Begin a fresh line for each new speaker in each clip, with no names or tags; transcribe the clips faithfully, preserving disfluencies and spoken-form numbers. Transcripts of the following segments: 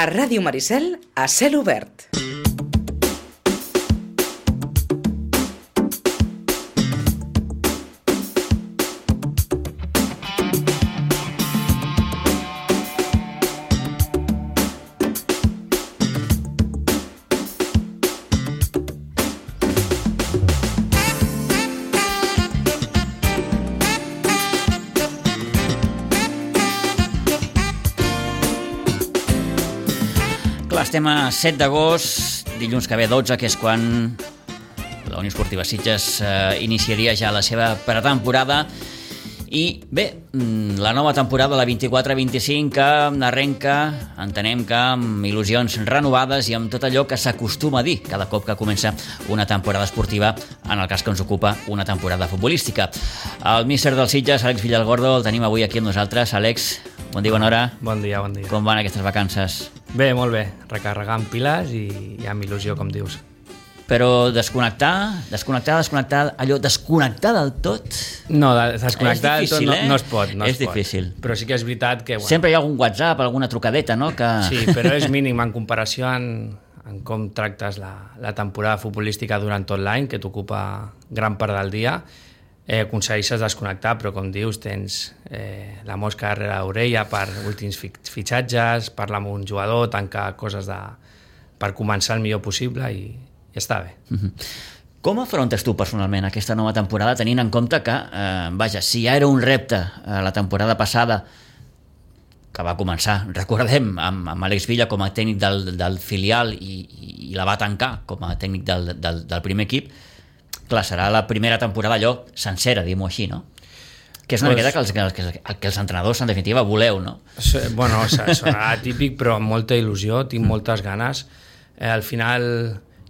A Ràdio Maricel, a cel obert.
Estem a set d'agost, dilluns que ve dotze, que és quan la Unió Esportiva Sitges eh, iniciaria ja la seva pretemporada. I bé, la nova temporada, la vint-i-quatre vint-i-cinc, que arrenca, entenem que amb il·lusions renovades i amb tot allò que s'acostuma a dir cada cop que comença una temporada esportiva, en el cas que ens ocupa una temporada futbolística. El míster dels Sitges, Àlex Villalgordo, el tenim avui aquí amb nosaltres. Àlex, bon dia, bona hora.
Bon dia, bon dia.
Com van aquestes vacances?
Bé, molt bé. Recarregant piles i, i amb il·lusió, com dius.
Però desconnectar, desconnectar, desconnectar, allò, desconnectar del tot...
No, desconnectar del tot no,
eh?
no es pot. No
és
es
difícil.
Pot. Però sí que és veritat que... Bueno,
sempre hi ha algun WhatsApp, alguna trucadeta, no? Que...
Sí, però és mínim en comparació en, en com tractes la, la temporada futbolística durant tot l'any, que t'ocupa gran part del dia. Eh, aconsegueixes desconnectar, però com dius, tens eh, la mosca darrere l'orella per últims fitxatges, parlar amb un jugador, tancar coses de, per començar el millor possible i, i està bé.
Uh-huh. Com afrontes tu personalment aquesta nova temporada, tenint en compte que, eh, vaja, si ja era un repte eh, la temporada passada, que va començar, recordem, amb, amb Àlex Villa com a tècnic del, del filial i, i la va tancar com a tècnic del, del, del primer equip, clar, serà la primera temporada allò sencera, diguem-ho així, no? Que és una pues, miqueta que els, que, els, que els entrenadors, en definitiva, voleu, no?
Bueno, sonarà típic, però amb molta il·lusió, tinc mm. moltes ganes. Eh, al final,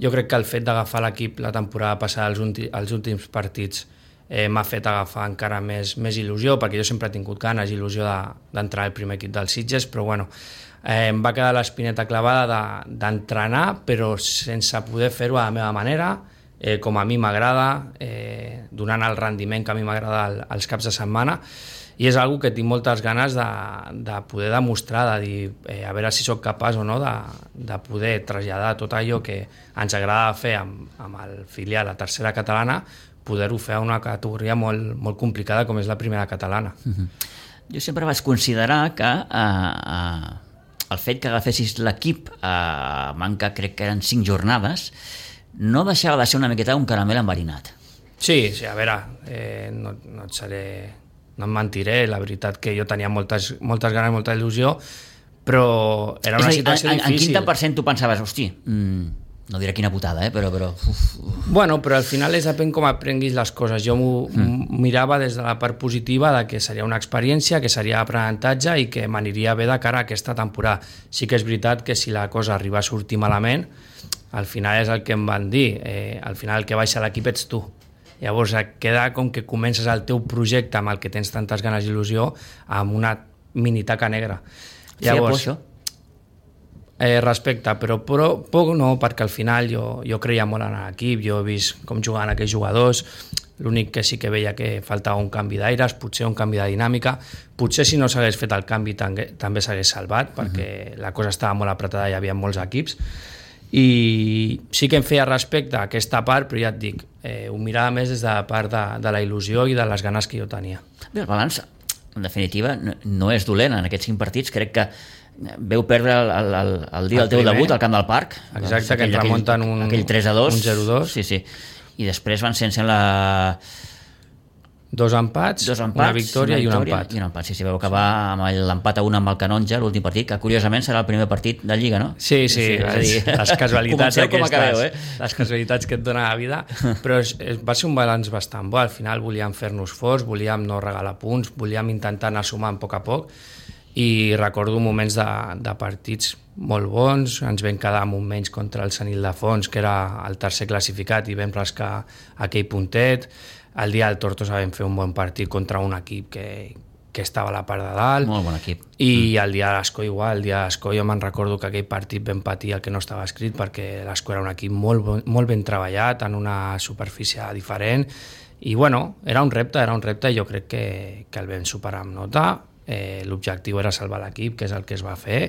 jo crec que el fet d'agafar l'equip la temporada passada, els, ulti, els últims partits, eh, m'ha fet agafar encara més, més il·lusió, perquè jo sempre he tingut ganes i il·lusió d'entrar de, al primer equip dels Sitges, però bueno, eh, em va quedar l'espineta clavada d'entrenar, de, però sense poder fer-ho a la meva manera, Eh, com a mi m'agrada, eh, donant el rendiment que a mi m'agrada als caps de setmana, i és algo que tinc moltes ganes de, de poder demostrar, de dir, eh, a veure si sóc capaç o no de, de poder traslladar tot allò que ens agrada fer amb, amb el filial, la tercera catalana, poder-ho fer a una categoria molt, molt complicada com és la primera catalana.
Uh-huh. Jo sempre vaig considerar que eh, eh, el fet que agafessis l'equip a eh, manca, crec que eren cinc jornades, no deixava de ser una miqueta un caramel enverinat.
Sí, sí, a veure, eh, no, no et seré... No em mentiré, la veritat que jo tenia moltes, moltes ganes, molta il·lusió, però era una
dir,
situació
en,
difícil.
En quin tant per cent tu pensaves, hosti, mmm, no diré quina putada, eh, però... però uf, uf.
Bueno, però al final és depèn com aprenguis les coses. Jo m'ho mm. mirava des de la part positiva de que seria una experiència, que seria aprenentatge i que m'aniria bé de cara a aquesta temporada. Sí que és veritat que si la cosa arriba a sortir malament, al final és el que em van dir, eh, al final el que baixa l'equip ets tu. Llavors queda com que comences el teu projecte amb el que tens tantes ganes i il·lusió amb una mini taca negra.
Llavors,
Feia por, això? Eh, respecte, però, però poc no, perquè al final jo, jo creia molt en l'equip, jo he vist com jugaven aquells jugadors, l'únic que sí que veia que faltava un canvi d'aires, potser un canvi de dinàmica, potser si no s'hagués fet el canvi també, també s'hagués salvat, perquè uh-huh. la cosa estava molt apretada i hi havia molts equips, i sí que em feia respecte a aquesta part, però ja et dic, eh, ho mirava més des de la part de, de la il·lusió i de les ganes que jo tenia.
Bé, el balanç, en definitiva, no, no és dolent en aquests cinc partits. Crec que veu perdre el, el, el dia del teu debut al Camp del Parc.
Exacte, doncs, que ens remunten un,
aquell tres a dos.
Un zero a dos.
Sí, sí. I després van sense la...
Dos empats,
Dos empats,
una victòria,
una victòria
i un empat.
I un empat, sí, sí, veu acabar amb l'empat a un amb el Canonja, l'últim partit, que curiosament serà el primer partit de Lliga, no?
Sí, sí, sí, és dir, les casualitats aquestes,
acabeu, eh?
les casualitats que et dona la vida, però és, va ser un balanç bastant bo. Al final volíem fer-nos forts, volíem no regalar punts, volíem intentar anar sumant a poc a poc, i recordo moments de, de partits molt bons, ens vam quedar amb un menys contra el Sant Ildefons, que era el tercer classificat, i vam rascar aquell puntet. El dia del Tortosa vam fer un bon partit contra un equip que, que estava a la part de dalt.
Molt bon equip.
I mm. el dia de l'Escó igual, el dia de l'Escó jo me'n recordo que aquell partit vam patir el que no estava escrit, perquè l'Escó era un equip molt, molt ben treballat, en una superfície diferent, i bueno, era un repte, era un repte, i jo crec que, que el vam superar amb nota. Eh, l'objectiu era salvar l'equip, que és el que es va fer,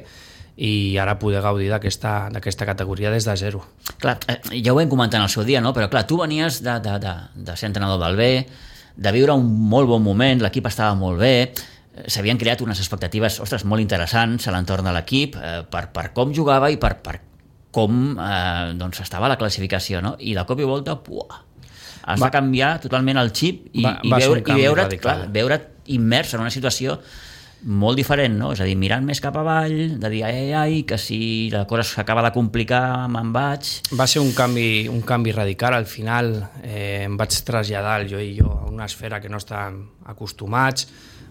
i ara poder gaudir d'aquesta d'aquesta categoria des de zero.
Clar, ja ho vam comentar en el seu dia, no? Però clar, tu venies de, de, de, de ser entrenador del B, de viure un molt bon moment, l'equip estava molt bé, s'havien creat unes expectatives, ostres, molt interessants a l'entorn de l'equip, eh, per, per com jugava i per, per com eh, doncs estava la classificació, no? I de cop i volta, puah, has va, de canviar totalment el xip i, va, i, veure, i veure't, clar, veure't immers en una situació molt diferent, no? És a dir, mirant més cap avall, de dir, ai, ai, que si la cosa s'acaba de complicar, me'n vaig...
Va ser un canvi, un canvi radical. Al final eh, em vaig traslladar, jo i jo, a una esfera que no estàvem acostumats,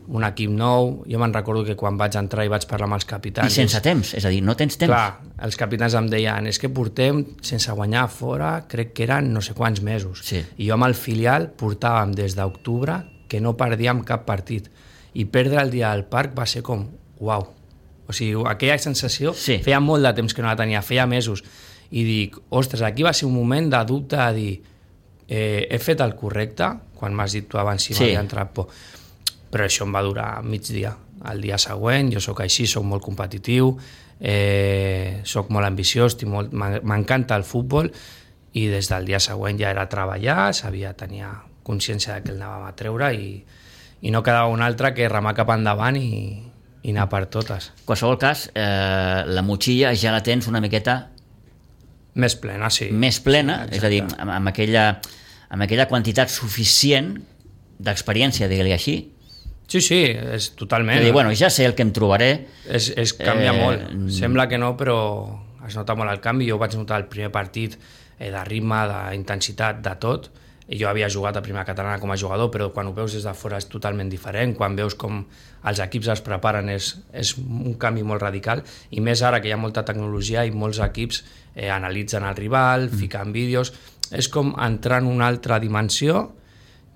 un equip nou. Jo me'n recordo que quan vaig entrar i vaig parlar amb els capitans...
I sense temps, és a dir, no tens temps.
Clar, els capitans em deien, és que portem sense guanyar fora, crec que eren no sé quants mesos.
Sí.
I jo amb el filial portàvem des d'octubre que no perdíem cap partit. I perdre el dia del parc va ser com, uau. O sigui, aquella sensació,
sí.
Feia molt de temps que no la tenia, feia mesos. I dic, ostres, aquí va ser un moment de dubte de dir, eh, he fet el correcte, quan m'has dit tu abans si sí. m'havia entrat por. Però això em va durar mig dia. El dia següent, jo sóc així, sóc molt competitiu, eh, sóc molt ambiciós, molt, m'encanta el futbol, i des del dia següent ja era treballar, sabia, tenia consciència que el anàvem a treure i i no quedava un altre que remar cap endavant i, i anar per totes.
En qualsevol cas, eh, la motxilla ja la tens una miqueta...
Més plena, sí.
Més plena,
sí,
és a dir, amb, amb, aquella, amb aquella quantitat suficient d'experiència, digue-li així.
Sí, sí, és totalment.
És a dir, bueno, ja sé el que em trobaré.
És, és canvia eh, molt. Sembla que no, però es nota molt el canvi. Jo vaig notar el primer partit eh, de ritme, d'intensitat, de tot. Jo havia jugat a primera catalana com a jugador, però quan ho veus des de fora és totalment diferent. Quan veus com els equips es preparen és, és un canvi molt radical, i més ara que hi ha molta tecnologia i molts equips eh, analitzen el rival, mm. fiquen vídeos. És com entrar en una altra dimensió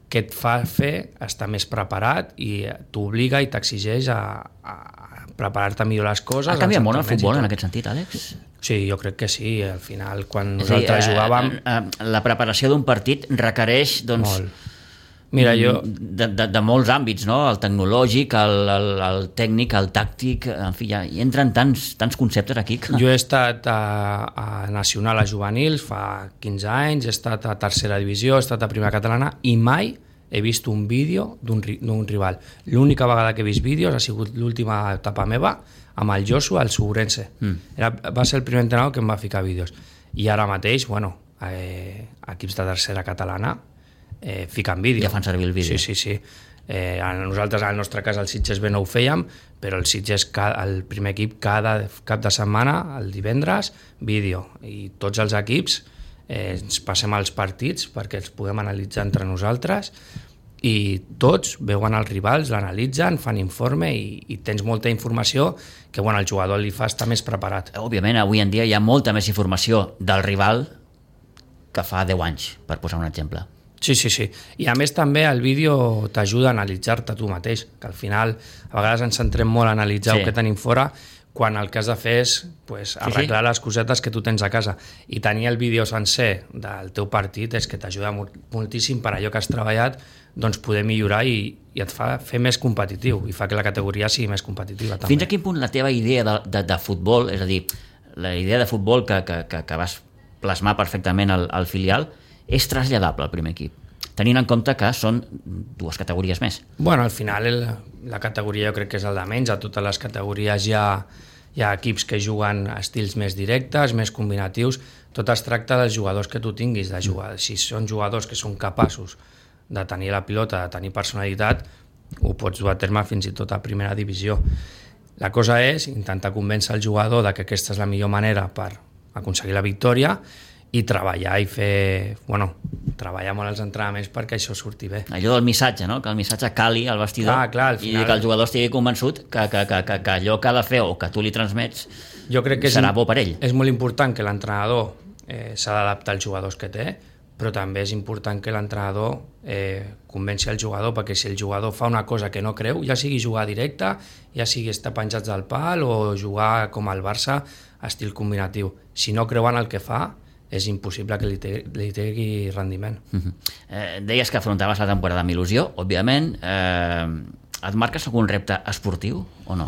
que et fa fer estar més preparat i t'obliga i t'exigeix a, a preparar-te millor les coses.
Ha canviat molt el futbol en aquest sentit, Àlex?
Sí, jo crec que sí. Al final, quan nosaltres dir, jugàvem...
Eh, eh, la preparació d'un partit requereix, doncs...
Molt. Mira, jo...
De, de, de molts àmbits, no? El tecnològic, el, el, el tècnic, el tàctic... En fi, ja hi entren tants, tants conceptes aquí que...
Jo he estat a, a Nacional a juvenils fa quinze anys, he estat a tercera divisió, he estat a primera catalana i mai he vist un vídeo d'un rival. L'única vegada que he vist vídeos ha sigut l'última etapa meva amb el Josu al Segurense. Mm. Era, va ser el primer entrenador que em va ficar vídeos. I ara mateix, bueno, eh, equips de tercera catalana eh, fiquen vídeo.
Ja fan servir el vídeo.
Sí, sí, sí. Eh, a nosaltres, al nostre cas, al Sitges B no ho fèiem, però el Sitges, el primer equip, cada cap de setmana, el divendres, vídeo. I tots els equips eh, ens passem als partits perquè els puguem analitzar entre nosaltres, i tots veuen els rivals, l'analitzen, fan informe i, i tens molta informació que bueno, el jugador li fa estar més preparat.
Òbviament, avui en dia hi ha molta més informació del rival que fa deu anys, per posar un exemple.
Sí, sí, sí. I a més també el vídeo t'ajuda a analitzar-te tu mateix, que al final a vegades ens centrem molt a analitzar sí. el que tenim fora, quan el que has de fer és pues, arreglar sí, sí. les cosetes que tu tens a casa. I tenir el vídeo sencer del teu partit és que t'ajuda moltíssim per allò que has treballat, doncs poder millorar i, i et fa fer més competitiu i fa que la categoria sigui més competitiva també.
Fins a quin punt la teva idea de, de, de futbol, és a dir, la idea de futbol que, que, que, que vas plasmar perfectament al, al filial, és traslladable al primer equip, tenint en compte que són dues categories més?
Bueno, al final el, la categoria jo crec que és el de menys. A totes les categories hi ha, hi ha equips que juguen a estils més directes, més combinatius. Tot es tracta dels jugadors que tu tinguis, de jugar. Si són jugadors que són capaços de tenir la pilota, de tenir personalitat, ho pots dur a terme fins i tot a primera divisió. La cosa és intentar convèncer el jugador de que aquesta és la millor manera per aconseguir la victòria i treballar i fer, bueno, treballar molt els entrenaments perquè això surti bé.
Allò del missatge, no? Que el missatge cali al vestidor
clar, clar, al final...
i que el jugador estigui convençut que, que, que, que, que allò que ha de fer o que tu li transmets
jo crec que
serà
és,
bo per ell.
És molt important que l'entrenador eh, s'ha d'adaptar als jugadors que té, però també és important que l'entrenador eh, convenci el jugador, perquè si el jugador fa una cosa que no creu, ja sigui jugar directe, ja sigui estar penjats del pal o jugar com el Barça, estil combinatiu. Si no creuen el que fa, és impossible que li, te, li tegui rendiment.
Uh-huh. eh, deies que afrontaves la temporada amb il·lusió, òbviament. Eh, et marques algun repte esportiu o no?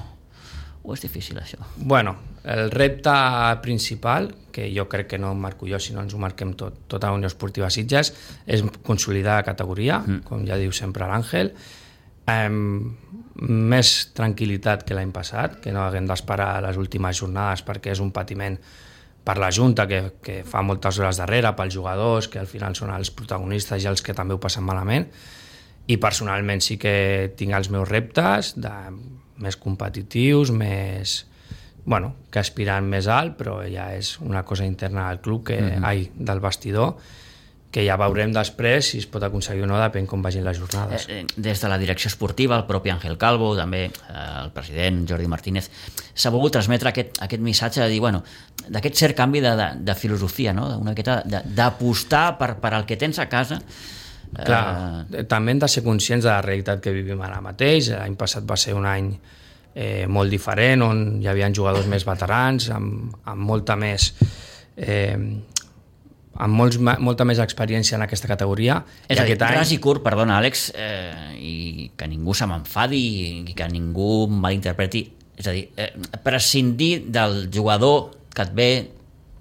o és difícil, això?
Bueno, el repte principal, que jo crec que no em marco jo, sinó ens ho marquem tot, tota la Unió Esportiva Sitges, és consolidar la categoria, mm. com ja diu sempre l'Àngel, um, més tranquil·litat que l'any passat, que no haguem d'esperar les últimes jornades perquè és un patiment per la Junta, que, que fa moltes hores darrere, pels jugadors, que al final són els protagonistes i els que també ho passen malament, i personalment sí que tinc els meus reptes de més competitius, més, bueno, que aspirant més alt, però ja és una cosa interna del club, que, mm-hmm. ai, del vestidor, que ja veurem després si es pot aconseguir o no, depèn com vagin les jornades.
Eh, des de la direcció esportiva, el propi Ángel Calvo, també eh, el president Jordi Martínez, s'ha volgut transmetre aquest, aquest missatge de dir, bueno, d'aquest cert canvi de, de, de filosofia, no? Una miqueta d'apostar per, per al que tens a casa.
Clar, eh... també hem de ser conscients de la realitat que vivim ara mateix. L'any passat va ser un any eh, molt diferent, on hi havia jugadors més veterans, amb, amb molta més eh, amb molts, molta més experiència en aquesta categoria.
És I a dir, any... ras i curt, perdona Àlex, eh, i que ningú se m'enfadi i que ningú malinterpreti, és a dir, eh, prescindir del jugador que et ve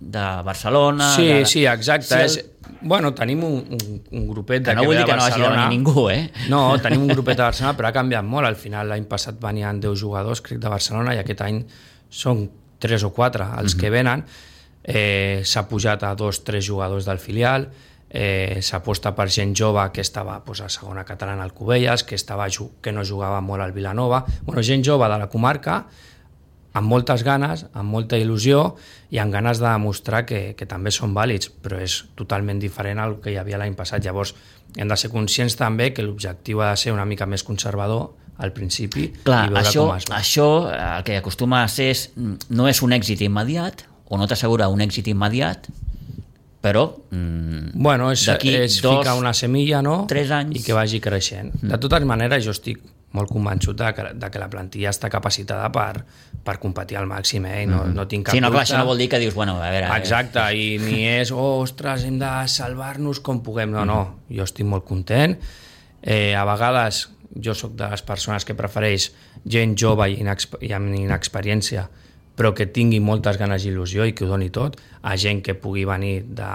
de Barcelona...
Sí,
de...
sí, exacte. Si el... és... Bueno, tenim un, un, un grupet de que,
que no
ve de
Barcelona.
No
hagi de venir ningú, eh?
No, tenim un grupet de Barcelona, però ha canviat molt. Al final, l'any passat venien deu jugadors, crec, de Barcelona, i aquest any són tres o quatre els mm-hmm. que venen. Eh, s'ha pujat a dos, tres jugadors del filial, eh, s'aposta per gent jove que estava pues, a segona catalana al Cubelles, que, estava, que no jugava molt al Vilanova. Bueno, gent jove de la comarca, amb moltes ganes, amb molta il·lusió i amb ganes de demostrar que, que també són vàlids, però és totalment diferent al que hi havia l'any passat. Llavors, hem de ser conscients també que l'objectiu ha de ser una mica més conservador al principi.
Clar,
i veure
això,
com es va.
Això el que acostuma a ser és, no és un èxit immediat, o no t'assegura un èxit immediat, però mm,
bueno, és, és
dos,
ficar una semilla, no?
Tres anys.
I que vagi creixent. Mm. De totes maneres, jo estic molt convençut de que, de que la plantilla està capacitada per, per competir al màxim, eh? No, mm. no tinc cap
sí, no, clar,
dubte.
això no vol dir que dius, bueno, a veure...
Exacte, i ni és, oh, ostres, hem de salvar-nos com puguem. No, mm. no, jo estic molt content. Eh, a vegades jo sóc de les persones que prefereix gent jove i, inexp i amb inexperiència, però que tingui moltes ganes i il·lusió i que ho doni tot, a gent que pugui venir de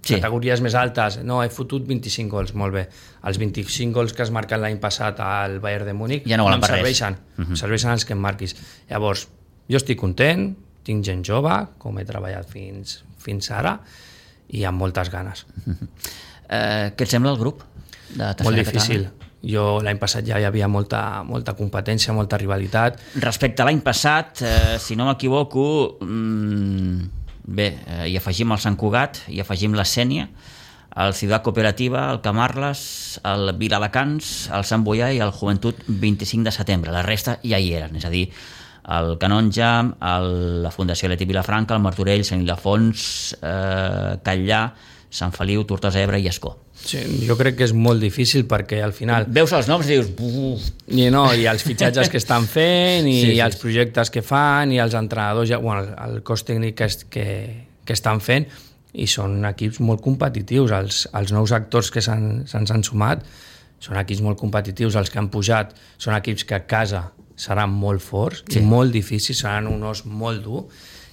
sí. categories més altes. No, he fotut vint-i-cinc gols, molt bé. Els vint-i-cinc gols que has marcat l'any passat al Bayern de Múnich
ja no, no em
serveixen, uh-huh. em serveixen els que em marquis. Llavors, jo estic content, tinc gent jove, com he treballat fins, fins ara, i amb moltes ganes.
Uh-huh. eh, què et sembla el grup? De
molt difícil. Catalana? Jo l'any passat ja hi havia molta, molta competència, molta rivalitat.
Respecte a l'any passat, eh, si no m'equivoco, mmm, bé, eh, hi afegim el Sant Cugat, hi afegim la Sénia, el Ciutat Cooperativa, el Camarles, el Viladecans, el Sant Boià i el Joventut vint-i-cinc de setembre. La resta ja hi eren, és a dir, el Canonja, el, la Fundació Leti Vilafranca, el Martorell, Sant Ildefons, eh, Catllà, Sant Feliu, Tortosa, Ebre i Escó.
Sí, jo crec que és molt difícil perquè al final...
Veus els noms i dius... Buf.
I, no, i els fitxatges que estan fent, i sí, sí, els projectes que fan, i els entrenadors, bueno, el cos tècnic que, que, que estan fent, i són equips molt competitius. Els, els nous actors que se'ns han sumat són equips molt competitius. Els que han pujat són equips que a casa seran molt forts, sí. i molt difícils, seran un os molt dur,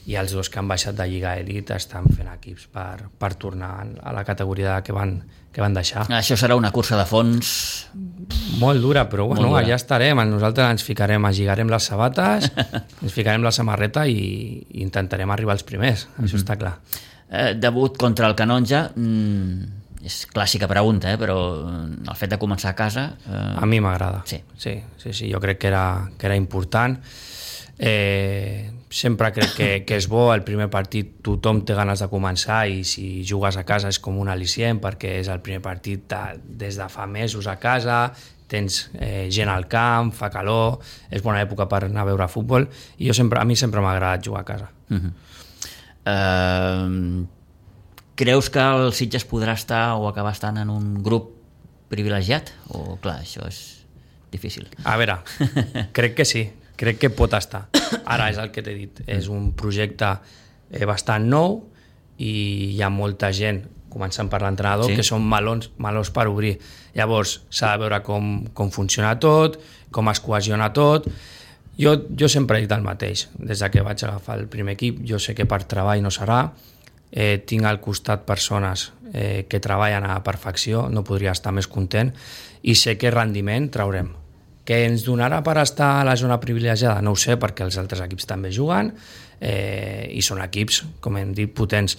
i els dos que han baixat de Lliga Elit estan fent equips per, per tornar a la categoria que van, que van deixar.
Això serà una cursa de fons...
Molt dura, però bueno, dura. Allà estarem. Nosaltres ens ficarem, lligarem les sabates, ens ficarem la samarreta i, i intentarem arribar als primers, mm-hmm. això està clar.
Eh, debut contra el Canonja, mm, és clàssica pregunta, eh, però el fet de començar a casa... Eh...
A mi m'agrada.
Sí.
Sí, sí, sí, jo crec que era, que era important. Eh, sempre crec que, que és bo. El primer partit tothom té ganes de començar, i si jugues a casa és com un al·licient, perquè és el primer partit de, des de fa mesos a casa, tens eh, gent al camp, fa calor, és bona època per anar a veure futbol, i jo sempre, a mi sempre m'ha agradat jugar a casa.
Uh-huh. uh, Creus que el Sitges podrà estar o acabar estant en un grup privilegiat? O clar, això és difícil.
A veure, crec que sí. Crec que pot estar. Ara és el que t'he dit. És un projecte eh, bastant nou, i hi ha molta gent, començant per l'entrenador, sí. que són melons, melons per obrir. Llavors s'ha de veure com, com funciona tot, com es cohesiona tot. Jo, jo sempre he dit el mateix, des que vaig agafar el primer equip, jo sé que per treball no serà, eh, tinc al costat persones eh, que treballen a perfecció, no podria estar més content, i sé que rendiment traurem. Que ens donarà per estar a la zona privilegiada? No ho sé, perquè els altres equips també juguen, eh, i són equips, com hem dit, potents,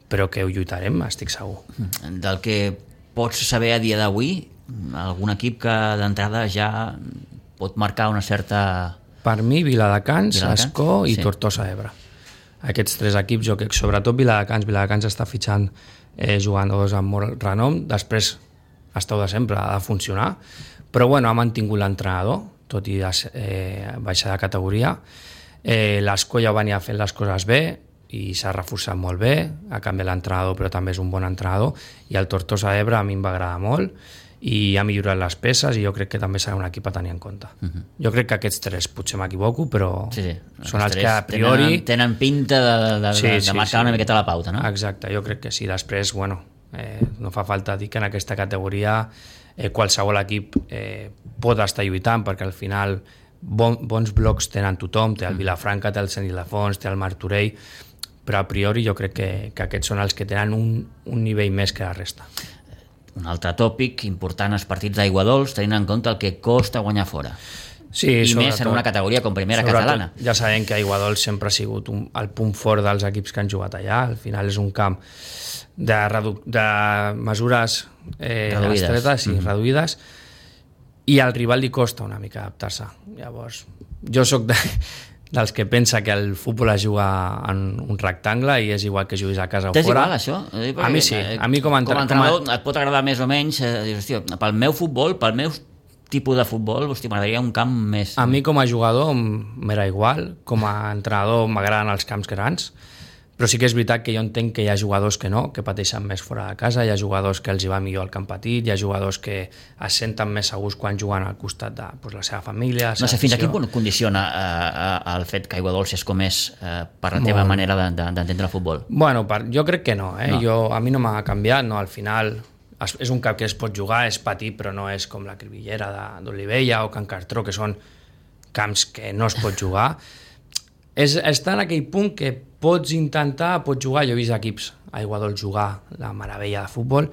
però que ho lluitarem, estic segur.
Del que pots saber a dia d'avui, algun equip que d'entrada ja pot marcar una certa...
Per mi, Viladecans,
Viladecans?
Ascó i
Sí.
Tortosa Ebre. Aquests tres equips, jo crec que sobretot Viladecans, Viladecans està fitxant eh, jugadors amb molt renom, després esteu de sempre, ha de funcionar, però bueno, ha mantingut l'entrenador, tot i eh, baixar de categoria. Eh, L'Ascó ja venia fent les coses bé i s'ha reforçat molt bé, ha canviat l'entrenador però també és un bon entrenador, i el Tortosa Ebre a mi em va agradar molt i ha millorat les peces i jo crec que també serà un equip a tenir en compte. Uh-huh. Jo crec que aquests tres, potser m'equivoco, però
sí, sí.
són els que a priori...
Tenen, tenen pinta de, de, de,
sí,
de
sí,
marcar
sí.
una miqueta la pauta, no?
Exacte, jo crec que sí. Després, bueno, eh, no fa falta dir que en aquesta categoria eh, qualsevol equip eh, pot estar lluitant, perquè al final bon, bons blocs tenen tothom, té el Vilafranca, té el Sant Ildefons, té el Martorell, però a priori jo crec que, que aquests són els que tenen un, un nivell més que la resta.
Un altre tòpic important als partits d'aigua dolç, tenint en compte el que costa guanyar fora.
Sí,
I
sobretot,
més en una categoria com primera catalana.
Ja sabem que Aiguadols sempre ha sigut un, el punt fort dels equips que han jugat allà. Al final és un camp de, redu de mesures eh,
reduïdes,
estretes, sí, mm-hmm. reduïdes, i al rival li costa una mica adaptar-se. Llavors, jo sóc de, dels que pensa que el futbol es juga en un rectangle i és igual que juguis a casa o fora.
T'és igual, això?
A mi sí. A mi com a,
com a entrenador et pot agradar més o menys, eh, dius, hòstia, pel meu futbol, pel meu tipus de futbol, hosti, m'agradaria un camp més...
A mi com a jugador m'era igual, com a entrenador m'agraden els camps grans, però sí que és veritat que jo entenc que hi ha jugadors que no, que pateixen més fora de casa, hi ha jugadors que els hi va millor al camp petit, hi ha jugadors que es senten més segurs quan juguen al costat de pues, la seva família... La seva
no sé, fins a
afició.
quin punt condiciona eh, el fet que Aiguadols és com és eh, per la teva
Molt.
manera d'entendre de, de, el futbol?
Bueno, per, jo crec que no, eh?
No.
Jo, a mi no m'ha canviat, no, al final es, és un camp que es pot jugar, és petit, però no és com la Cribillera d'Olivella o Can Cartró, que són camps que no es pot jugar. És, està en aquell punt que pots intentar, pots jugar, jo he vist equips a Aiguadols jugar la meravella de futbol,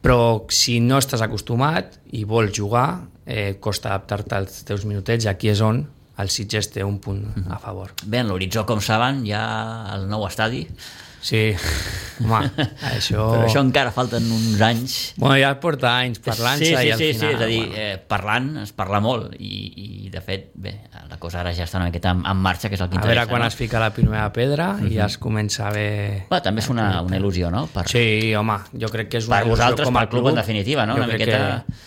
però si no estàs acostumat i vols jugar, eh, costa adaptar-te als teus minutets, i aquí és on el Sitges té un punt a favor.
Bé, en l'horitzó, com saben, hi ha el nou estadi.
Sí, home, això...
Però això encara falten uns anys.
Bueno, ja porta anys parlant-se
sí, sí,
i al
sí,
final...
Sí, és a dir,
bueno.
eh, parlant, es parla molt i, i de fet, bé, la cosa ara ja està una miqueta en, en marxa, que és el que
A
interessa.
veure quan
no?
es fica la primera pedra uh-huh. i ja es comença a ver...
Bé, també és una, una il·lusió, no? Per,
Sí, home, jo crec que és una
per
il·lusió
vosaltres,
com a
pel club, en definitiva, no?
Jo
Una
crec
miqueta...
que...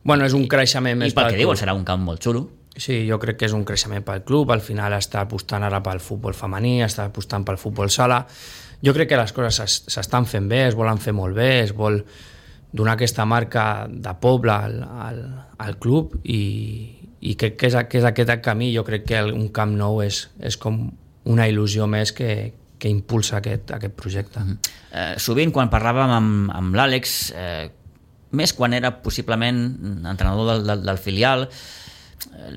Bueno, és un creixement
I
més
pel que
club.
diuen, serà un camp molt xulo.
Sí, jo crec que és un creixement pel club, al final està apostant ara pel futbol femení, està apostant pel futbol sala. Jo crec que les coses s'estan fent bé, es volen fer molt bé, es vol donar aquesta marca de poble al, al, al club i, i crec que és, que és aquest camí. Jo crec que un camp nou és, és com una il·lusió més que, que impulsa aquest, aquest projecte.
Mm-hmm. Eh, sovint, quan parlàvem amb, amb l'Àlex, eh, més quan era possiblement entrenador del, del, del filial,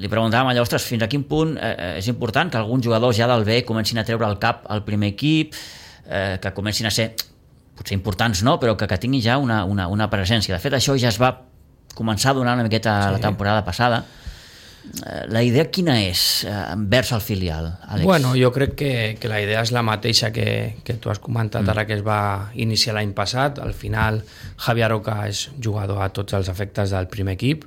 li preguntàvem allò, ostres, fins a quin punt eh, és important que alguns jugadors ja del B comencin a treure el cap al primer equip, eh, que comencin a ser, potser importants no, però que, que tinguin ja una, una, una presència. De fet, això ja es va començar a donar una miqueta sí. la temporada passada. Eh, la idea quina és eh, envers el filial, Àlex?
Bueno, jo crec que, que la idea és la mateixa que, que tu has comentat mm. ara, que es va iniciar l'any passat. Al final, Javier Roca és jugador a tots els efectes del primer equip.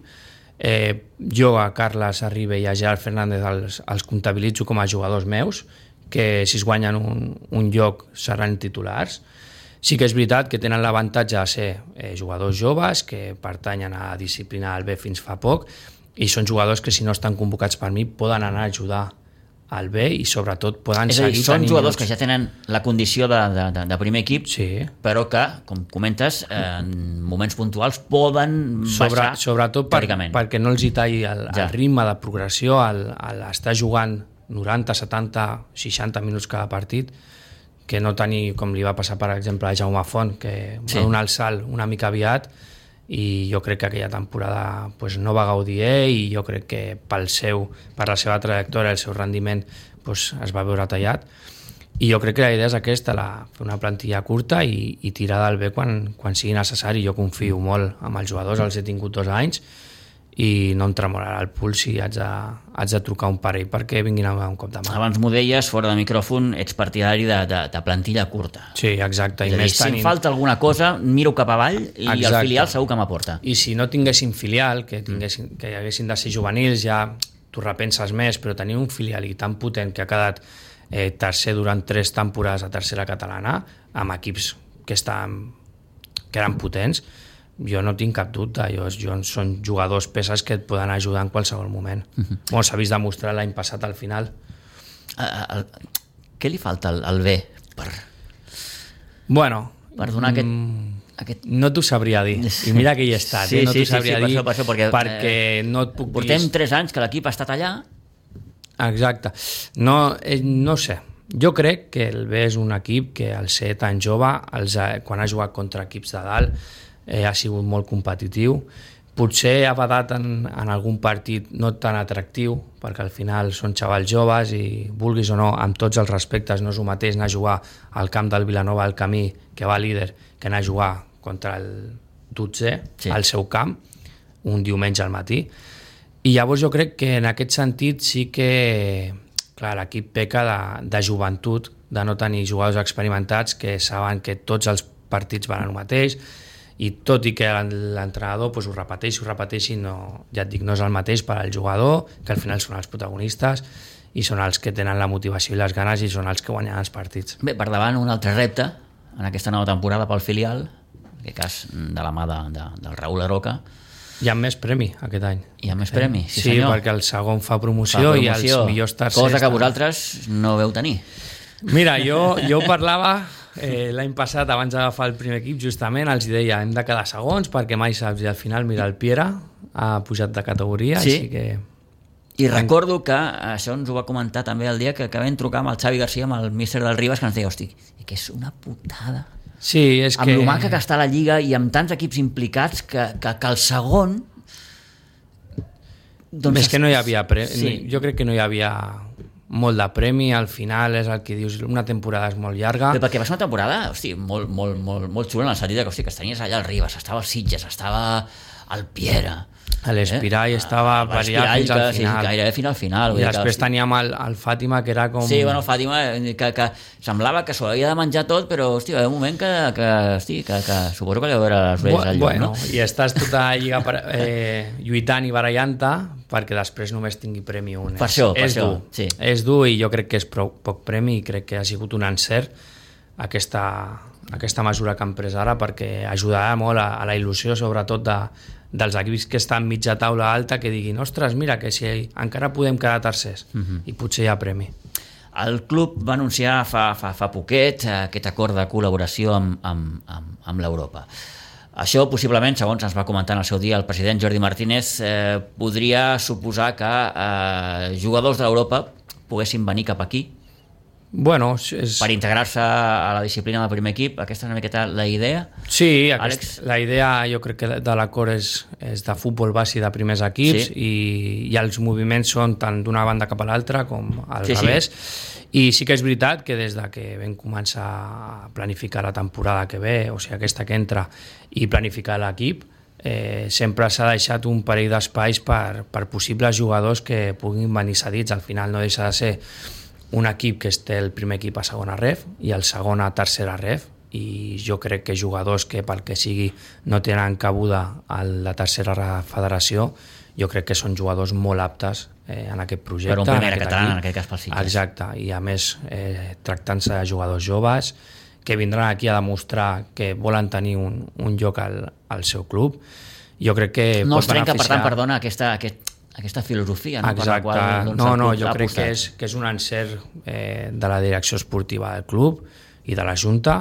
Eh, jo a Carles Arribe i a Gerard Fernández els, els comptabilitzo com a jugadors meus, que si es guanyen un, un lloc seran titulars. Sí que és veritat que tenen l'avantatge de ser eh, jugadors joves que pertanyen a la disciplina del B fins fa poc, i són jugadors que si no estan convocats per mi poden anar a ajudar al B i sobretot poden
és a dir,
seguir
són
tenint
jugadors
minuts.
que ja tenen la condició de, de, de, de primer equip,
Sí.
però que, com comentes, eh, en moments puntuals poden
Sobre,
baixar
sobretot per,
teòricament.
perquè no els hi talli el,
Ja.
el ritme de progressió, el, el estar jugant noranta, setanta, seixanta minuts cada partit, que no tenir, com li va passar per exemple a Jaume Font, que
Sí.
va donar el salt una mica aviat i jo crec que aquella temporada pues, no va gaudir ell i jo crec que pel seu, per la seva trajectòria, el seu rendiment pues, es va veure tallat. I jo crec que la idea és aquesta, la, fer una plantilla curta i, i tirar del bé quan, quan sigui necessari. Jo confio molt amb els jugadors, els he tingut dos anys i no em tremolarà el puls si haig de, haig de trucar un parell perquè vinguin a un cop de mà.
Abans m'ho deies, fora de micròfon, ets partidari de, de, de plantilla curta.
Sí, exacte.
És a dir, si tenint... em falta alguna cosa, miro cap avall i exacte. El filial segur que m'aporta.
I si no tinguessin filial, que, tinguessin, que haguessin de ser juvenils, ja t'ho repenses més, però tenir un filial i tan potent que ha quedat eh, tercer durant tres temporades a tercera catalana, amb equips que, estan, que eren potents, jo no tinc cap dubte, jo, jo són jugadors peces que et poden ajudar en qualsevol moment. Uh-huh. Bon, s'ha vist demostrar l'any passat al final.
Uh, el, què li falta al, al B per,
bueno,
per donar aquest,
mm,
aquest...
No t'ho sabria dir, i mira que hi he estat,
sí,
eh? no
sí,
t'ho sabria
sí, sí,
dir
per això, per això, perquè,
perquè eh, no et puc dir...
Portem tres anys que l'equip ha estat allà.
Exacte. No, eh, no sé, jo crec que el B és un equip que al ser tan jove, els, quan ha jugat contra equips de dalt, eh, ha sigut molt competitiu. Potser ha badat en, en algun partit no tan atractiu, perquè al final són xavals joves i, vulguis o no, amb tots els respectes, no és el mateix anar a jugar al camp del Vilanova al Camí, que va líder, que anar a jugar contra el dotzè sí. al seu camp, un diumenge al matí. I llavors jo crec que en aquest sentit sí que clar, l'equip peca de, de joventut, de no tenir jugadors experimentats que saben que tots els partits van al mateix, i tot i que l'entrenador pues, ho repeteixi, ho repeteixi, no, ja et dic, no és el mateix per al jugador, que al final són els protagonistes i són els que tenen la motivació i les ganes i són els que guanyen els partits.
Bé, per davant un altre repte en aquesta nova temporada pel filial, en aquest cas de la mà de, de, del Raül Aroca.
Hi ha més premi aquest any.
Hi ha més premi, sí,
sí
senyor.
Perquè el segon fa promoció, fa promoció i els millors tercers...
Cosa que vosaltres no veu tenir.
Mira, jo, jo parlava... Eh, l'any passat, abans d'agafar el primer equip, justament els deia, hem de quedar segons perquè mai saps, i al final, mira, el Piera ha pujat de categoria,
sí.
així que...
I recordo que això ens ho va comentar també el dia que, que vam trucar amb el Xavi García, amb el míster del Ribas, que ens deia, hosti, que és una putada.
Sí, és
amb
que...
lo maca que està la Lliga i amb tants equips implicats que, que, que el segon...
Doncs és que no hi havia... Pre...
Sí.
Jo crec que no hi havia... molt de premi, al final és el que dius, una temporada és molt llarga.
Però perquè va ser una temporada, hosti, molt, molt, molt, molt xula en el sentit que, hosti, que estaries allà al Ribas, estava al Sitges, estava al Piera,
a l'Espirall eh? estava per allà fins al
que,
final.
Sí, gairebé fins al final.
I després
que,
teníem el, el Fàtima, que era com...
Sí, bueno, Fàtima, que, que semblava que s'ho havia de menjar tot, però, hosti, va haver un moment que, que, hosti, que, que suposo que li va veure les orelles al lloc,
bueno,
no?
I estàs tota la lliga per, eh, lluitant i barallant-te perquè després només tingui premi un.
Per això, per
és
això.
Dur.
Sí.
És dur i jo crec que és prou, poc premi i crec que ha sigut un encert aquesta, aquesta mesura que han pres ara perquè ajudarà molt a, a la il·lusió, sobretot de, dels equips que estan mitja taula alta, que diguin, ostres, mira, que si encara podem quedar tercers uh-huh. i potser hi ha premi.
El club va anunciar fa, fa, fa poquet aquest acord de col·laboració amb, amb, amb, amb l'Europa. Això, possiblement, segons ens va comentar en el seu dia el president Jordi Martínez, eh, podria suposar que eh, jugadors d'Europa poguessin venir cap aquí
bueno, és...
per integrar-se a la disciplina del primer equip. Aquesta és una miqueta la idea?
Sí, aquest, la idea jo crec que de l'acord és, és de futbol base de primers equips sí. i, i els moviments són tant d'una banda cap a l'altra com al sí, revés. Sí. I sí que és veritat que des de que vam començar a planificar la temporada que ve, o sigui, aquesta que entra, i planificar l'equip, eh, sempre s'ha deixat un parell d'espais per, per possibles jugadors que puguin venir cedits. Al final no deixa de ser un equip que té el primer equip a segona ref i el segon a tercera ref, i jo crec que jugadors que pel que sigui no tenen cabuda a la tercera federació, jo crec que són jugadors molt aptes eh, en aquest projecte.
Per un primer català, en aquest cas pel Sitges.
Exacte, i a més eh, tractant-se de jugadors joves que vindran aquí a demostrar que volen tenir un, un lloc al, al seu club. Jo crec que
no
pot
es trenca,
beneficiar...
per tant, perdona, aquesta, aquest, aquesta filosofia, no?
Exacte.
Per la qual, doncs,
no, no,
el club
jo
l'ha
crec
posat.
que és, que és un encert eh, de la direcció esportiva del club i de la Junta,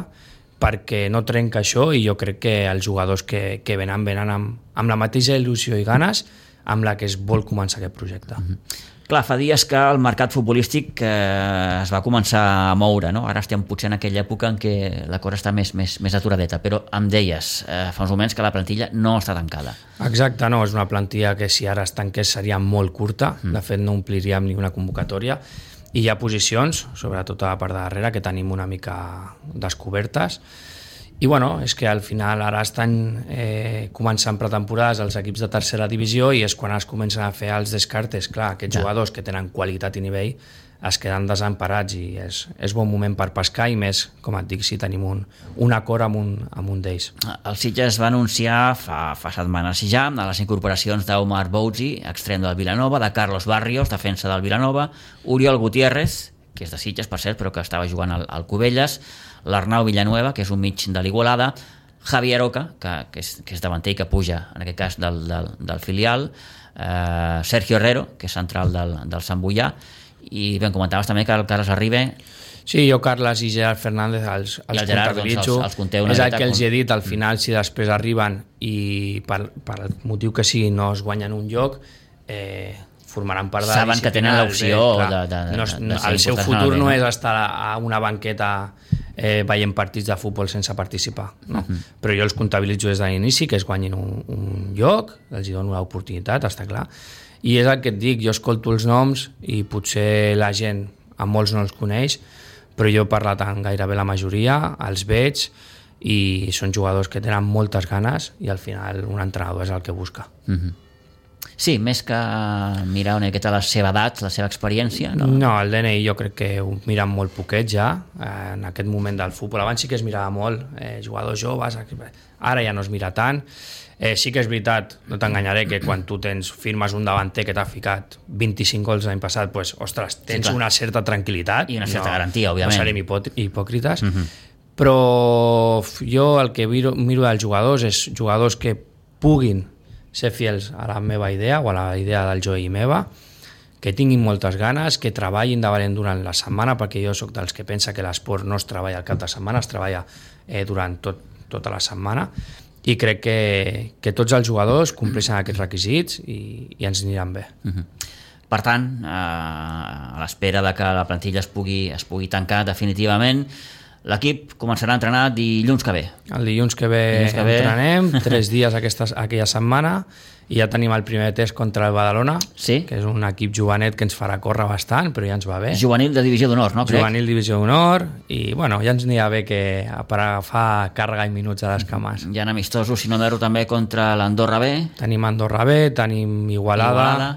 perquè no trenca això, i jo crec que els jugadors que, que venen, venen amb, amb la mateixa il·lusió i ganes amb la que es vol començar aquest projecte.
Mm-hmm. Clar, fa dies que el mercat futbolístic eh, es va començar a moure, no? Ara estem potser en aquella època en què la cosa està més, més, més aturadeta, però em deies eh, fa uns moments que la plantilla no està tancada.
Exacte, no, és una plantilla que si ara es tanqués seria molt curta, mm. de fet no ompliríem ni una convocatòria, i hi ha posicions, sobretot a la part de darrere, que tenim una mica descobertes. I bueno, és que al final ara estan eh, començant pretemporades els equips de tercera divisió i és quan es comencen a fer els descartes. Clar, aquests ja. jugadors que tenen qualitat i nivell es queden desemparats i és, és bon moment per pescar i més, com et dic, si tenim un, un acord amb un, amb un d'ells.
El Sitges va anunciar fa, fa setmanes ja a les incorporacions d'Omar Boutzi, extrem del Vilanova, de Carlos Barrios, defensa del Vilanova, Oriol Gutiérrez, que és de Sitges, per cert, però que estava jugant al, al Cubelles, l'Arnau Villanueva, que és un mig de l'Igualada, Javier Oca, que, que, és, que és davanter i que puja, en aquest cas, del, del, del filial, eh, Sergio Herrero, que és central del, del Sant Boià, i ben comentaves també que el Carles Arribe...
Sí, jo, Carles i Gerard Fernández els, els comptabilitzo.
Doncs, els, els
és el que els he dit, al final, si després arriben i per, per el motiu que sigui no es guanyen un lloc, eh, formaran part de la
saben que tenen l'opció de, de, de,
no,
de, de
el seu futur no és estar a una banqueta eh, veient partits de futbol sense participar, no? Uh-huh. Però jo els comptabilitzo des de l'inici, que es guanyin un, un lloc, els dono l'oportunitat, està clar, i és el que et dic, jo escolto els noms i potser la gent a molts no els coneix, però jo he parlat amb gairebé la majoria, els veig i són jugadors que tenen moltes ganes i al final un entrenador és el que busca.
Uh-huh. Sí, més que mirar una miqueta la seva edat, la seva experiència, no?
No, el D N I jo crec que ho miren molt poquet ja, eh, en aquest moment del futbol. Abans sí que es mirava molt, eh, jugadors joves, ara ja no es mira tant. Eh, sí que és veritat, no t'enganyaré, que quan tu tens firmes un davanter que t'ha ficat vint-i-cinc gols l'any passat, pues, ostres, tens sí, una certa tranquil·litat.
I una certa
no,
garantia, òbviament.
No serem hipòcrites, uh-huh. Però jo el que miro, miro dels jugadors és jugadors que puguin ser fiels a la meva idea o a la idea del Joe i meva, que tinguin moltes ganes, que treballin de valent durant la setmana, perquè jo sóc dels que pensa que l'esport no es treballa al cap de setmana, es treballa eh, durant tot, tota la setmana, i crec que, que tots els jugadors compleixen aquests requisits i, i ens aniran bé.
Uh-huh. Per tant, eh, a l'espera de que la plantilla es pugui, es pugui tancar definitivament, l'equip començarà a entrenar dilluns que ve.
El dilluns que ve, dilluns que ve. entrenem, tres dies aquesta, aquella setmana, i ja tenim el primer test contra el Badalona,
sí?
Que és un equip jovenet que ens farà córrer bastant, però ja ens va bé.
Juvenil de divisió d'honor, no? Crec?
Juvenil divisió d'honor, i bueno, ja ens anirà bé que per agafar càrrega i minuts a les cames.
Hi ha amistosos, si no m'erro, també contra l'Andorra B.
Tenim Andorra B, tenim Igualada, Igualada.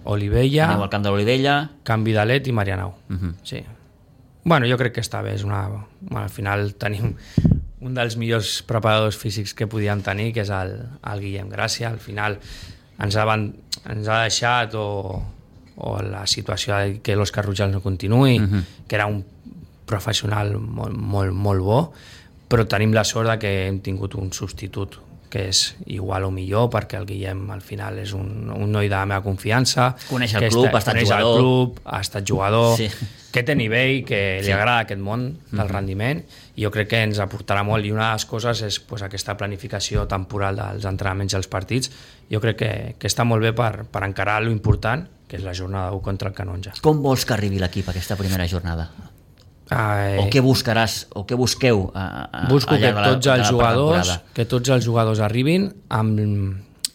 Olivella,
tenim el camp de l'Olivella,
Can Vidalet i Marianao. Uh-huh. Sí. Bueno, jo crec que està bé, és una... Bueno, al final tenim un dels millors preparadors físics que podíem tenir, que és el, el Guillem Gràcia. Al final ens ha, ens ha deixat o, o la situació de que l'Òscar Rujals no continuï, uh-huh. que era un professional molt, molt, molt bo, però tenim la sort de que hem tingut un substitut que és igual o millor, perquè el Guillem al final és un, un noi de la meva confiança,
coneix el club, ha estat jugador,
el club, ha estat jugador,
sí.
que té nivell, que li
sí.
agrada aquest món del mm-hmm. rendiment, i jo crec que ens aportarà molt, i una de les coses és pues, aquesta planificació temporal dels entrenaments i els partits. Jo crec que, que està molt bé per, per encarar lo important, que és la jornada u contra el Canonja.
Com vols que arribi l'equip aquesta primera jornada?
Eh,
o què buscaràs, o què busqueu a, a,
busco que
la,
tots els jugadors que tots els jugadors arribin amb,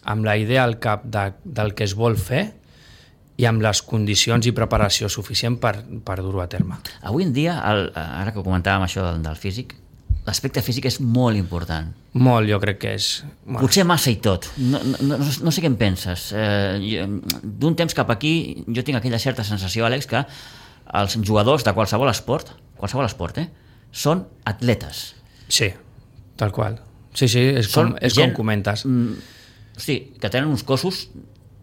amb la idea al cap de, del que es vol fer i amb les condicions i preparació suficient per, per dur-ho a terme.
Avui en dia, el, ara que comentàvem això del, del físic, l'aspecte físic és molt important.
Molt, jo crec que és...
Bueno. Potser massa i tot. No, no, no, no sé què en penses. Eh, d'un temps cap aquí jo tinc aquella certa sensació, Àlex, que els jugadors de qualsevol esport, qualsevol esport, eh, són atletes.
Sí, tal qual. Sí, sí, és, com, és gent, com comentes.
Mm, sí, que tenen uns cossos...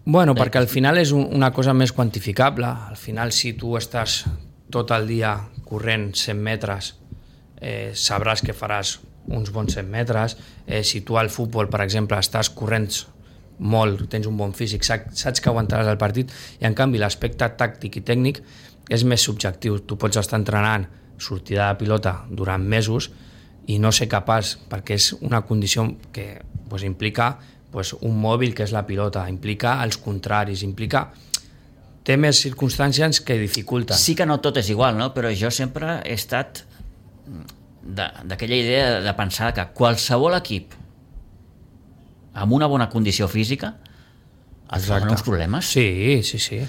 Bueno, perquè al final és un, una cosa més quantificable. Al final, si tu estàs tot el dia corrent cent metres, eh, sabràs que faràs uns bons cent metres. Eh, si tu al futbol, per exemple, estàs corrent molt, tens un bon físic, saps que aguantaràs el partit, i en canvi l'aspecte tàctic i tècnic és més subjectiu. Tu pots estar entrenant sortida de pilota durant mesos i no ser capaç, perquè és una condició que pues, implica pues, un mòbil que és la pilota, implica els contraris, implica té més circumstàncies que dificulten.
Sí que no tot és igual, no? Però jo sempre he estat d'aquella idea de pensar que qualsevol equip amb una bona condició física et fa uns problemes.
Sí, sí, sí.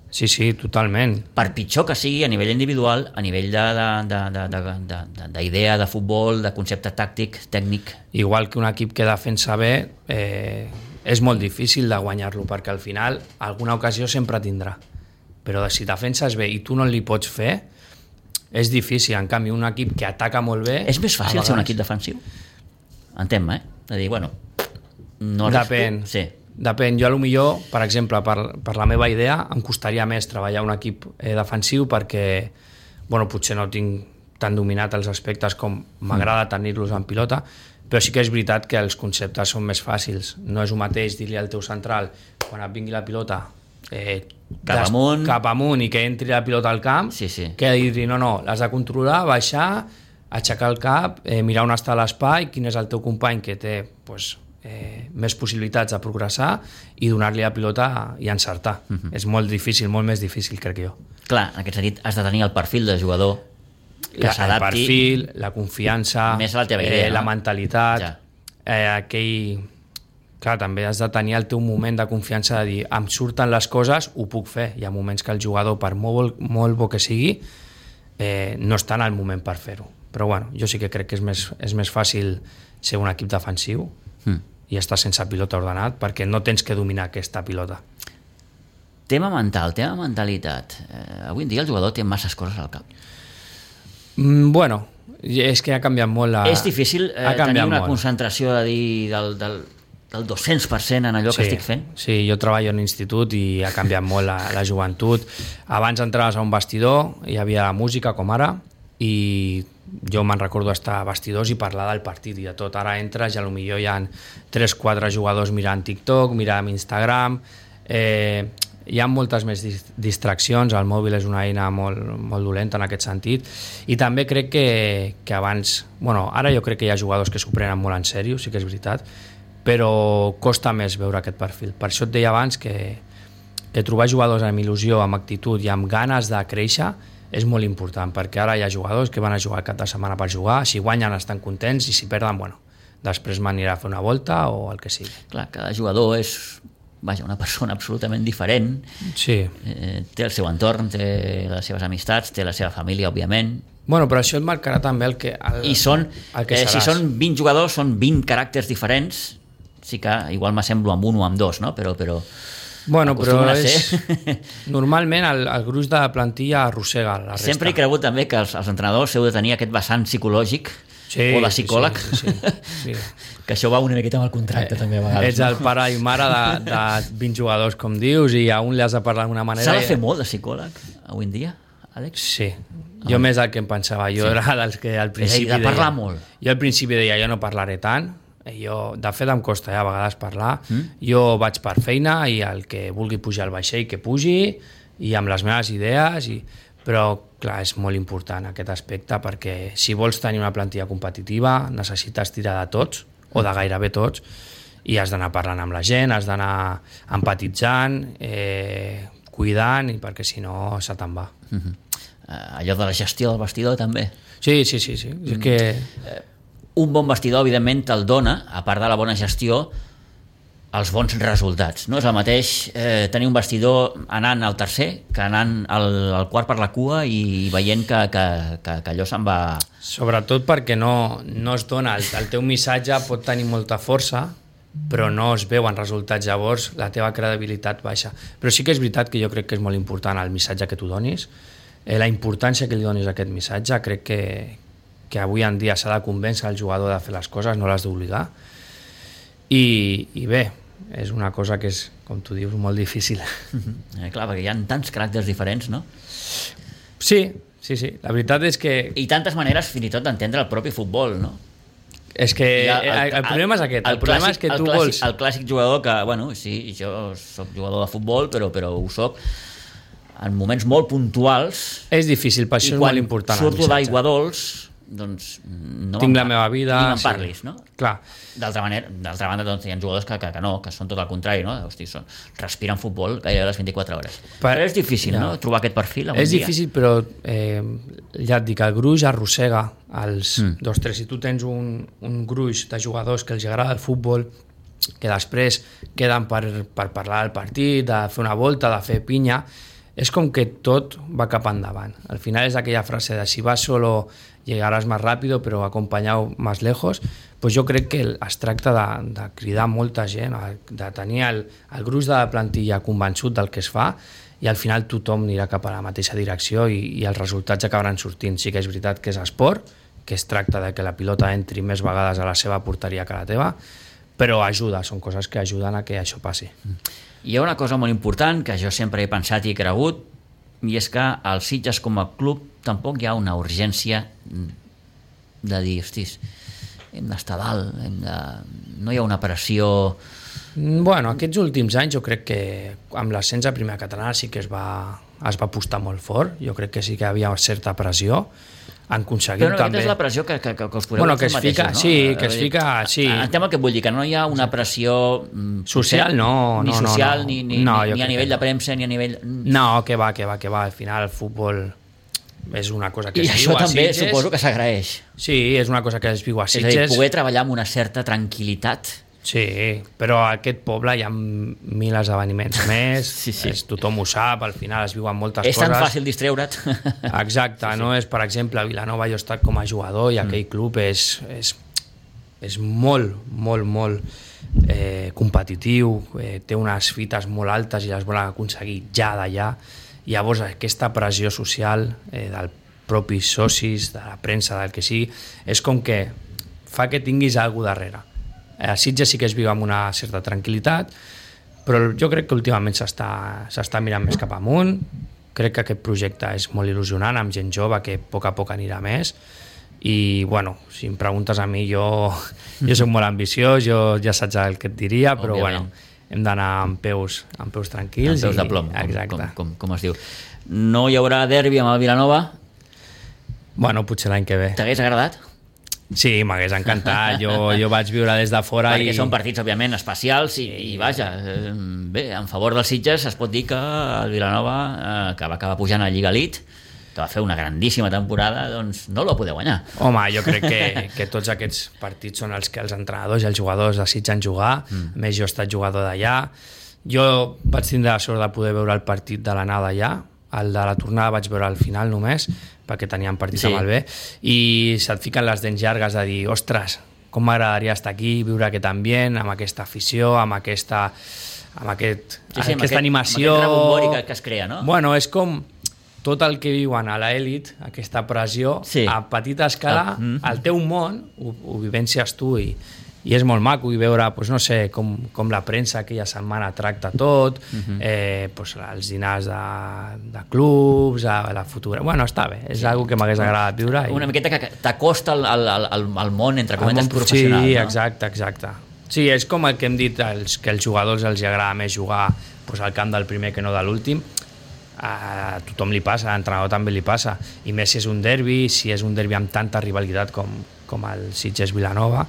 Sí, sí, totalment.
Per pitjor que sigui a nivell individual, a nivell d'idea de, de, de, de, de, de, de futbol, de concepte tàctic, tècnic.
Igual que un equip que defensa bé, eh, és molt difícil de guanyar-lo, perquè al final alguna ocasió sempre tindrà. Però si defenses bé i tu no li pots fer, és difícil. En canvi, un equip que ataca molt bé...
És més fàcil ser un equip defensiu? Entén-me, eh? De dir, bueno... No
Depèn.
Sí.
Depèn. Jo, a lo millor, per exemple, per, per la meva idea, em costaria més treballar un equip eh, defensiu perquè, bueno, potser no tinc tan dominat els aspectes com m'agrada mm. tenir-los en pilota, però sí que és veritat que els conceptes són més fàcils. No és el mateix dir-li al teu central, quan et vingui la pilota, eh,
cap amunt,
cap amunt i que entri la pilota al camp,
sí, sí.
que dir-li, no, no, l'has de controlar, baixar, aixecar el cap, eh, mirar on està l'espai, quin és el teu company que té, pues, Eh, més possibilitats de progressar i donar-li la pilota i encertar. Uh-huh. És molt difícil, molt més difícil, crec jo.
Clar, en aquest sentit has de tenir el perfil de jugador que s'adapti.
El perfil, la confiança,
més a la teva idea,
eh,
no?
la mentalitat,
ja.
eh, aquell... Clar, també has de tenir el teu moment de confiança de dir, em surten les coses, ho puc fer. Hi ha moments que el jugador, per molt, molt bo que sigui, eh, no està en el moment per fer-ho. Però bueno, jo sí que crec que és més, és més fàcil ser un equip defensiu mm. i estar sense pilota ordenat, perquè no tens que dominar aquesta pilota.
Tema mental, tema mentalitat. Eh, avui en dia el jugador té masses coses al cap.
Mm, bueno, és que ha canviat molt la...
És difícil eh, tenir una molt. concentració de dir, del, del, del dos-cents per cent en allò
sí,
que estic fent?
Sí, jo treballo en institut i ha canviat molt la, la joventut. Abans entraves a un vestidor, hi havia la música com ara, i jo me'n recordo estar a vestidors i parlar del partit i de tot. Ara entres i potser hi ha tres quatre jugadors mirant TikTok, mirant Instagram, eh, hi ha moltes més distraccions, el mòbil és una eina molt, molt dolenta en aquest sentit, i també crec que, que abans, bueno, ara jo crec que hi ha jugadors que s'ho prenen molt en sèrio, sí que és veritat, però costa més veure aquest perfil. Per això et deia abans que, que trobar jugadors amb il·lusió, amb actitud i amb ganes de créixer és molt important, perquè ara hi ha jugadors que van a jugar cap de setmana per jugar, si guanyen estan contents i si perden, bueno, després m'anirà a fer una volta o el que sigui.
Clar, cada jugador és, vaja, una persona absolutament diferent,
sí.
eh, té el seu entorn, té les seves amistats, té la seva família, òbviament.
Bueno, però això et marcarà també el que, el,
I són,
el que
eh, si són vint jugadors, són vint caràcters diferents, sí que igual m'assemblo amb un o amb dos, no? Però... però...
Bueno, però és... normalment el, el gruix de la plantilla arrossega la resta.
Sempre he cregut també que els, els entrenadors heu de tenir aquest vessant psicològic
sí,
o de psicòleg,
sí, sí, sí, sí.
que això va una miqueta amb el contracte eh, també a vegades.
Ets el pare i mare de, de vint jugadors, com dius, i a un li has de parlar d'una manera...
S'ha de fer molt de psicòleg avui en dia, Àlex?
Sí, jo ah. més del que em pensava. Jo sí. era dels que al principi
de parlar
deia,
molt.
Jo al principi deia, jo no parlaré tant. Jo, de fet em costa ja a vegades parlar, mm? Jo vaig per feina i el que vulgui pujar al vaixell que pugi i amb les meves idees, i... però clar, és molt important aquest aspecte, perquè si vols tenir una plantilla competitiva necessites tirar de tots o de gairebé tots i has d'anar parlant amb la gent, has d'anar empatitzant, eh, cuidant, i perquè si no se te'n va.
Mm-hmm. uh, allò de la gestió del vestidor també.
Sí, sí, sí, sí. Mm. És que...
Uh, un bon vestidor, evidentment, te'l dona, a part de la bona gestió, els bons resultats. No és el mateix eh, tenir un vestidor anant al tercer que anant al, al quart per la cua i veient que, que, que, que allò se'n va...
Sobretot perquè no, no es dona, el, el teu missatge pot tenir molta força, però no es veuen resultats, llavors la teva credibilitat baixa. Però sí que és veritat que jo crec que és molt important el missatge que tu donis, eh, la importància que li donis a aquest missatge, crec que que avui en dia s'ha de convèncer el jugador de fer les coses, no l'has d'obligar. I, I bé, és una cosa que és, com tu dius, molt difícil.
Mm-hmm. Eh, clar, perquè hi ha tants caràcters diferents, no?
Sí, sí, sí. La veritat és que...
I tantes maneres, fins i tot, d'entendre el propi futbol, no?
És que el, el, el problema és aquest. El, el problema clàssic, és que tu
el clàssic,
vols...
El clàssic jugador que, bueno, sí, jo soc jugador de futbol, però, però ho soc en moments molt puntuals.
És difícil, per això és molt important.
I quan surto d'Aigua Dols, doncs no
tinc la meva vida,
ni me'n
sí.
parlis, no?
Clar.
D'altra manera, d'altra banda, doncs, hi ha jugadors que, que, que no, que són tot el contrari, no? Hosti, són, respiren futbol gairebé les vint-i-quatre hores.
Per...
Però és difícil,
ja.
no?, trobar aquest perfil en
És
un dia.
difícil, però eh, ja et dic, el gruix arrossega els
Mm.
dos, tres. Si tu tens un, un gruix de jugadors que els agrada el futbol, que després queden per, per parlar del partit, de fer una volta, de fer pinya, és com que tot va cap endavant. Al final és aquella frase de si vas solo llegaràs més ràpido, però acompanyau més lejos. Pues jo crec que es tracta de, de cridar molta gent, de tenir el, el gruix de la plantilla convençut del que es fa, i al final tothom anirà cap a la mateixa direcció i, i els resultats acabaran sortint. Sí que és veritat que és esport, que es tracta de que la pilota entri més vegades a la seva porteria que a la teva, però ajuda, són coses que ajuden a que això passi.
Hi ha una cosa molt important que jo sempre he pensat i he cregut, i és que al Sitges com a club tampoc hi ha una urgència de dir, hostis, hem d'estar dalt, hem de... no hi ha una pressió...
Bueno, aquests últims anys jo crec que amb l'ascens a primera catalana sí que es va, es va apostar molt fort, jo crec que sí que hi havia certa pressió, han aconseguit
però no,
també...
aquesta és la pressió que, que, que us podeu
bueno, que
fer
es fica,
mateixos, no?
sí, que es fica, sí.
Entenc el que vull dir, que no hi ha una pressió
social, no,
ni
no, no,
social,
no.
ni, ni,
No,
ni,
jo
ni a
crec
nivell
que
de premsa, ni a nivell...
No, que va, que va, que va, al final el futbol és una cosa que
I
es
això
viu a
també
Sitges.
suposo que s'agraeix.
Sí, és una cosa que es viu a
És a
Sitges.
dir, poder treballar amb una certa tranquil·litat.
Sí, però a aquest poble hi ha mil esdeveniments més,
Sí, sí.
És, tothom ho sap, al final es viuen moltes
És
coses.
tan fàcil distreure't.
Exacte, sí, sí. No és, per exemple, a Vilanova jo he estat com a jugador i aquell mm. club és, és, és molt, molt, molt eh, competitiu, eh, té unes fites molt altes i les volen aconseguir ja d'allà. Llavors aquesta pressió social eh, del propis socis, de la premsa, del que sigui, és com que fa que tinguis alguna darrere. A Sitges sí que es viu amb una certa tranquil·litat, però jo crec que últimament s'està mirant més cap amunt. Crec que aquest projecte és molt il·lusionant, amb gent jove que a poc a poc anirà més, i bueno, si em preguntes a mi, jo, jo soc molt ambiciós, jo ja saps el que et diria, però
Òbviament.
bueno, hem d'anar amb peus, amb peus tranquils.
Amb peus de
i,
plom, com,
exacte.
com, com, com es diu. No hi haurà derbi amb el Vilanova?
Bueno, potser l'any que ve.
T'hagués agradat?
Sí, m'hagués encantat, jo, jo vaig viure des de fora.
Perquè
i...
són partits, òbviament, especials i, i vaja, eh, bé, en favor dels Sitges es pot dir que el Vilanova, eh, que va acabar pujant a Lliga Elite, que va fer una grandíssima temporada, doncs no el va poder guanyar.
Home, jo crec que, que tots aquests partits són els que els entrenadors i els jugadors desitgen jugar, mm. més jo he estat jugador d'allà. Jo vaig tindre la sort de poder veure el partit de l'anada allà, el de la tornada vaig veure al final només, perquè teníem partit
sí.
amb el B, i se't fiquen les dents llargues de dir, ostres, com m'agradaria estar aquí, viure aquest ambient, amb aquesta afició, amb aquesta, amb aquest,
sí, sí,
aquesta
amb aquest,
animació...
Amb aquest rebombori que, que es crea, no?
Bueno, és com tot el que viuen a l'elit, aquesta pressió, sí. a petita escala,
ah, mm.
al teu món, ho, ho vivències tu, i, i és molt maco i veure, doncs, no sé, com, com la premsa aquella setmana tracta tot, uh-huh. eh, doncs, els dinars de, de clubs, la fotografia... Bueno, està bé, és sí. Algo que m'hagués agradat viure. I...
Una miqueta que t'acosta al, al, al, al món, entre comentes, professional.
Sí,
no?
exacte, exacte. Sí, és com el que hem dit, els, que als jugadors els agrada més jugar doncs, al camp del primer que no de l'últim. A tothom li passa, a l'entrenador també li passa, i més si és un derbi, si és un derbi amb tanta rivalitat com, com el Sitges-Vilanova.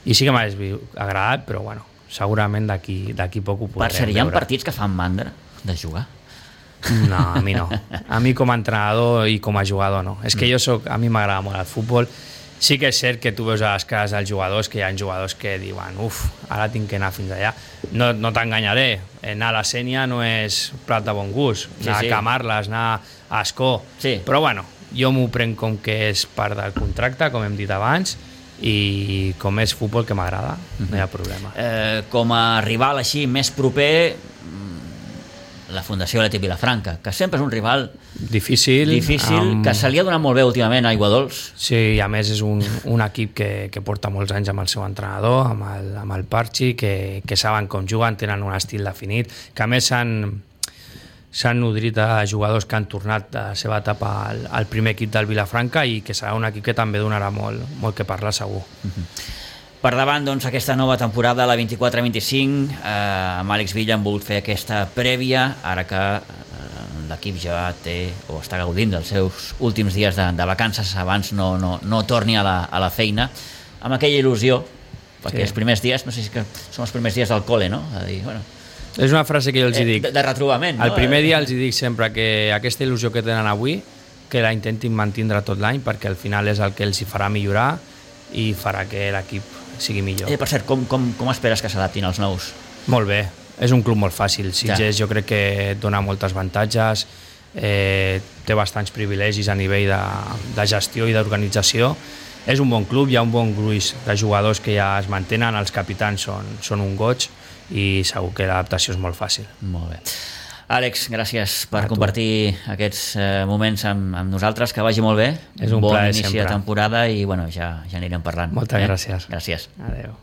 I sí que m'ha agradat, però bueno, segurament d'aquí d'aquí poc ho podrem
per cert, hi ha
veure.
partits que fan mandra de jugar?
No, a mi no. A mi com a entrenador i com a jugador no. És que jo soc, a mi m'agrada molt el futbol. Sí que és cert que tu veus a les cares dels jugadors que hi ha jugadors que diuen uf, ara tinc que anar fins allà. No, no t'enganyaré, anar a la Sénia no és plat de bon gust,
sí,
anar
sí.
a Camarles, anar a Ascó,
sí.
Però bueno, jo m'ho prenc com que és part del contracte, com hem dit abans, i com és futbol que m'agrada, no hi ha problema.
Eh, com a rival així més proper, la Fundació Atlètic Vilafranca, que sempre és un rival
difícil,
difícil amb... que se li ha donat molt bé últimament a Aiguadols.
Sí, i a més és un, un equip que, que porta molts anys amb el seu entrenador, amb el, amb el Parchi, que, que saben com juguen, tenen un estil definit, que a més s'han s'han nodrit a jugadors que han tornat de la seva etapa al, al primer equip del Vilafranca i que serà un equip que també donarà molt, molt que parlar segur.
Uh-huh. Per davant, doncs, aquesta nova temporada, la vint-i-quatre vint-i-cinc, eh, amb Àlex Villa hem volgut fer aquesta prèvia, ara que eh, l'equip ja té o està gaudint dels seus últims dies de, de vacances abans no, no, no torni a la, a la feina, amb aquella il·lusió, perquè sí. els primers dies, no sé si que són els primers dies del col·le, no? A dir, bueno,
és una frase que jo els hi dic.
De, de retrobament, no?
El primer dia els hi dic sempre que aquesta il·lusió que tenen avui, que la intentin mantindre tot l'any, perquè al final és el que els hi farà millorar i farà que l'equip sigui millor.
Eh, per cert, com, com, com esperes que s'adaptin els nous?
Molt bé, és un club molt fàcil. Sitges ja. jo crec que et dona moltes avantatges, eh, té bastants privilegis a nivell de, de gestió i d'organització. És un bon club, hi ha un bon gruix de jugadors que ja es mantenen, els capitans són, són un goig i segur que l'adaptació és molt fàcil.
Molt bé. Àlex, gràcies per compartir aquests eh, moments amb, amb nosaltres, que vagi molt bé.
És un
bon
plaer
inici
sempre.
de temporada i bueno, ja, ja anirem parlant.
Moltes eh? gràcies.
Gràcies.
Adéu.